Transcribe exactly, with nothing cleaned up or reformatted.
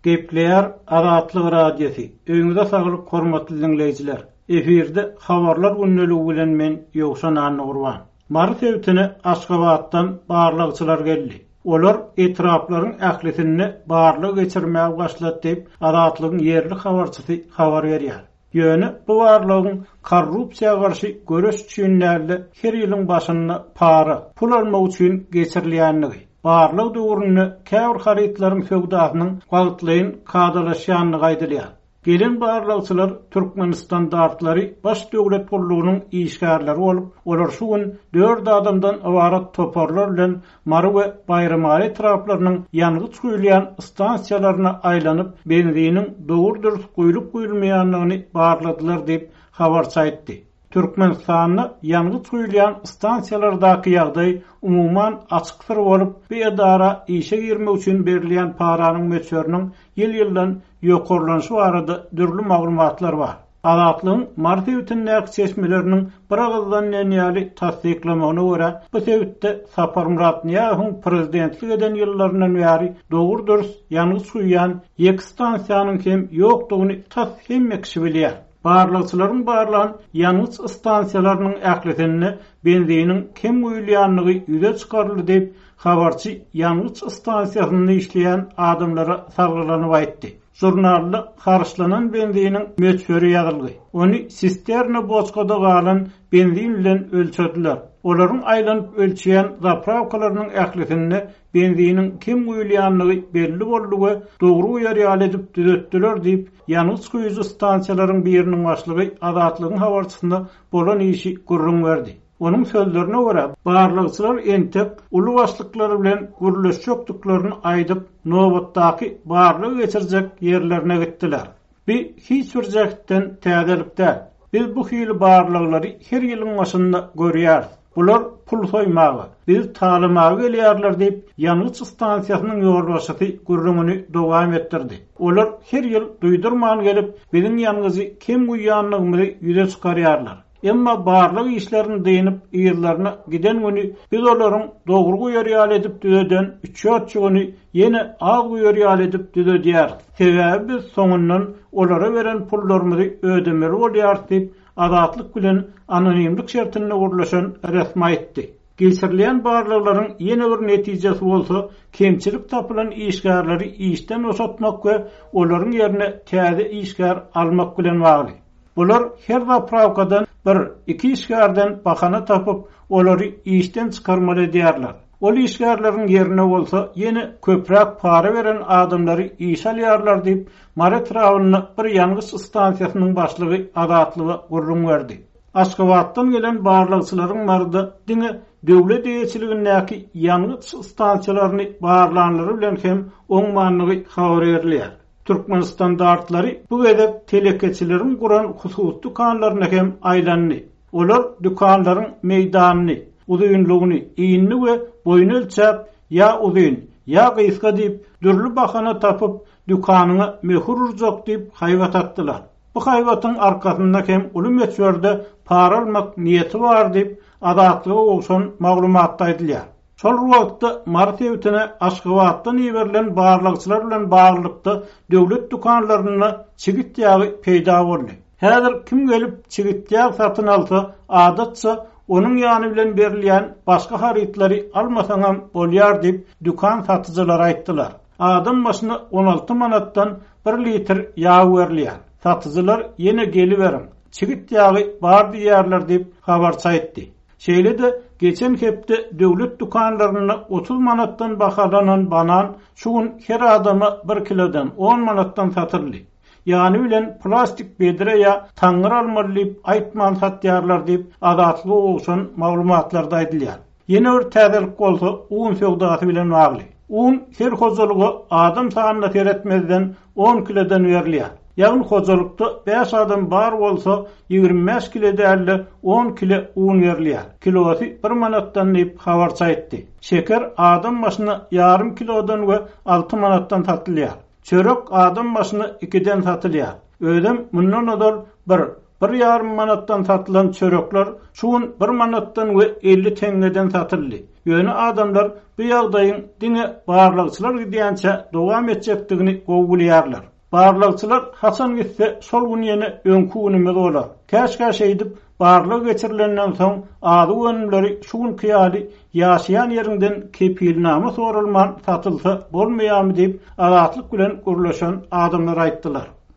Gepleýär Azatlyk Radiosy. Öýüňize saglyk hormatly dinleýjiler. Efirde habarlar gündeligi bilen men Ýowşan Annagurban. Mary sebitine Aşgabatdan barlagçylar geldi. Olar etraplaryň ählisinde barlag geçirmäge başlady diýip, Azatlygyň ýerli habarçysy habar berýär. Ýöne bu barlagyň korrupsiýa garşy göreş üçin däl-de, her ýylyň başynda para, pul almak üçin geçirilýänligi, barlag döwründe käbir harytlaryň söwdasynyň wagtlaýyn kadalaşýanlygy aýdylýar. Gelen barlagçylar Türkmen standartlary baş döwlet gullugynyň işgärleri bolup, olar şu gün dört adamdan ybarat toparlar bilen Mary we Baýramaly etraplarynyň ýangyç guýulýan stansiýalaryna aýlanyp, benziniň dogry-dürs guýlup guýulmaýanlygyny barladylar diýip habarçy aýtdy. Türkmenistanda ýangyç guýulýan stansiýalardaky ýagdaý umuman açyk syr bolup, bu edara işe girmek üçin berilýän paranyň möçberiniň ýyl-ýyldan ýokarlanyşy barada dürli maglumatlar bar. Azatlygyň Mary sebitindäki çeşmeleriniň bir agyzdan diýen ýaly tassyklamagyna görä, bu sebitde Saparmyrat Nyýazowyň prezidentlik eden ýyllaryndan bäri dogry-dürs ýangyç guýýan ýek stansiýanyň hem ýokdugyny tas hemme kişi bilýär. Barlagçylaryň barlan ýangyç stansiýalarynyň ählisinde benziniň kem guýulýanlygy ýüze çykaryldy diýip, habarçy ýangyç stansiýasynda işleýän adamlara salgylanyp aýtdy. Jurnalda harçlanan benziniň möçberi ýazyldy. Ony sisterna boçkada galan benzin bilen ölçediler. Olaryň aýlanyp ölçeýän zapravkalarynyň ählisinde benziniň kem guýulýanlygy belli boldy we dogry guýar ýaly edip düzetdiler diýip, ýangyç guýujy stansiýalaryň biriniň başlygy Azatlygyň habarçysyna bolan işi gürrüň berdi. Onuň sözlerine görä, barlagçylar entek uly başlyklar bilen gürleşjekdiklerini aýdyp, nobatdaky barlag geçirjek ýerlerine gitdiler. Bi hiç bir jähtden täzelik däl. Biz bu hili barlaglary her ýylyň başynda görýäris. Bular pul soýmaga, biz talamaga gelýärler diýip, ýangyç stansiýasynyň ýolbaşçysy gürrüňini dowam etdirdi. Olar her ýyl duýdurman gelip, biziň ýangyjy kem guýýanlygymyzy ýüze çykarýarlar. Emma barlag işlerini dynyp, ýerlerine giden güni biz olaryň dogry guýar ýaly edip düzeden üç-dört güni ýene az guýar ýaly edip düzedýäris. Sebäbi biz soňundan olara beren pullarymyzy ödemeli bolýarys diýip, Azatlyk bilen anonimlik şertinde gurlaşan resmi aýtdy. Geçirilen barlaglaryň ýene bir netijesi bolsa, kemçilik tapylan işgärleri işden boşatmak we olaryň ýerine täze işgär almak bilen bagly. Bular her zapravkadan bir, iki işgärden bahana tapyp, olary işden çykarmaly edýärler. Ol işgärleriň ýerine bolsa ýene köpräk para beren adamlary iş alýarlar diýip, Mary etrabynda bir ýangyç stansiýasynyň başlygy Azatlyga gürrüň berdi. Aşgabatdan gelen barlagçylaryň Maryda diňe döwlet eýeçiligindäki ýangyç stansiýalaryny barlanlary bilen hem oňmanlygy habar berilýär. Türkmen standartlary bu gezek telekeçileriň guran hususy dükanlaryna hem aýlandy. Olar dükanlaryň meýdanyny, uzynlygyny, iýnini we boýuny ölçäp, ýa uzyn, ýa gysga diýip, dürli bahana tapyp, dükanyňa möhür urjak diýip haýbat atdylar. Bu haýbatyň arkasynda hem uly möçberde para almak niýeti bar diýip, Azatlyga gowşan maglumatda aýdylýar. Şol wagtda Mary sebitine Aşgabatdan iberilen barlagçylar bilen baglylykda döwlet dükanlarynda çigit ýagy peýda boldy. Häzir kim gelip çigit ýag satyn alsa, adatça onuň ýany bilen berilýän başga harytlary almasaňam bolýar diýip, dükan satyjylary aýtdylar. Adam başyna on alty manatdan bir litr ýag berilýär. Satyjylar ýene geliberiň, çigit ýagy bar diýýärler diýip habarçy aýtdy. Şeýle-de geçen hepde döwlet dükanlarynda otuz manatdan bahalanan banan şu gün her adama bir kilodan on manatdan satyldy. Ýany bilen plastik bedre ýa taňňyr almaly diýip aýtman satýarlar diýip Azatlyga gowşan maglumatlarda aýdylýar. Ýene bir täzelik bolsa un söwdasy bilen bagly. Un her hojalyga adam sanyna seretmezden on kilodan berilýär. Ýagny hojalykda bäş adam bar bolsa ýigrimi bäş kilo däl-de on kilo un berilýär. Kilosy bir manatdan diýip habarçy aýtdy. Şeker adam başyna ýarym kilodan we alty manatdan satylýar. Çörek adam başyna ikiden satylýar. Özem mundan ozal bir, Bir ýarym manatdan satylan çörekler şu gün bir manatdan we elli teňňeden satyldy. Ýöne adamlar bu ýagdaýyň diňe barlagçylar gidýänçe dowam etjekdigini gowy bilýärler. Barlagçylar haçan gitse şol gün ýene öňkü günümiz bolar. Käşgä şeýdip barlag geçirilenden soň azyk önümleri şu günki ýaly ýaşaýan ýerinden kepilname sorulman satylsa bolmaýarmy diýip Azatlyk bilen gürleşen adamlar aýtdylar.